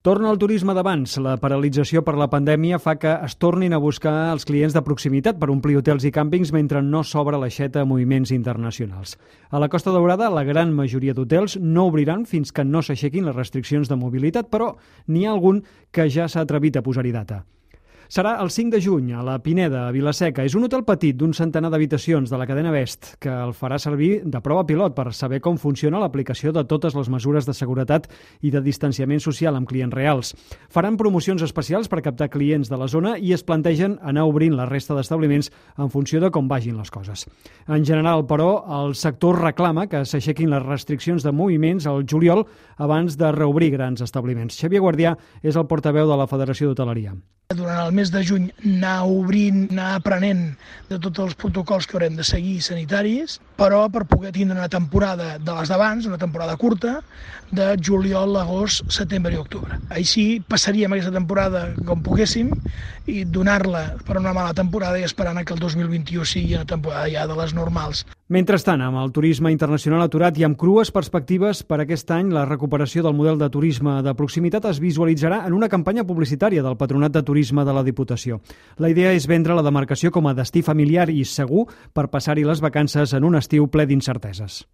Torna el turisme d'abans. La paralització per la pandèmia fa que es tornin a buscar els clients de proximitat per omplir hotels i càmpings mentre no s'obre l'aixeta a moviments internacionals. A la Costa Daurada, la gran majoria d'hotels no obriran fins que no s'aixequin les restriccions de mobilitat, però n'hi ha algun que ja s'ha atrevit a posar-hi data. Serà el 5 de juny a la Pineda, a Vila-seca. És un hotel petit d'un centenar d'habitacions de la cadena Best que el farà servir de prova pilot per saber com funciona l'aplicació de totes les mesures de seguretat i de distanciament social amb clients reals. Faran promocions especials per captar clients de la zona i es plantegen anar obrint la resta d'establiments en funció de com vagin les coses. En general, però, el sector reclama que s'aixequin les restriccions de moviments al juliol abans de reobrir grans establiments. Xavier Guardià és el portaveu de la Federació d'Hoteleria. Durant el mes de juny anar obrint, anar aprenent de tots els protocols que haurem de seguir sanitaris, però per poder tindre una temporada de les d'abans, una temporada curta, de juliol, agost, setembre i octubre. Així passaríem aquesta temporada com poguéssim i donar-la per una mala temporada i esperant que el 2021 sigui una temporada ja de les normals. Mentrestant, amb el turisme internacional aturat i amb crues perspectives per aquest any, la recuperació del model de turisme de proximitat es visualitzarà en una campanya publicitària del Patronat de Turisme de la Diputació. La idea és vendre la demarcació com a destí familiar i segur per passar-hi les vacances en un estiu ple d'incerteses.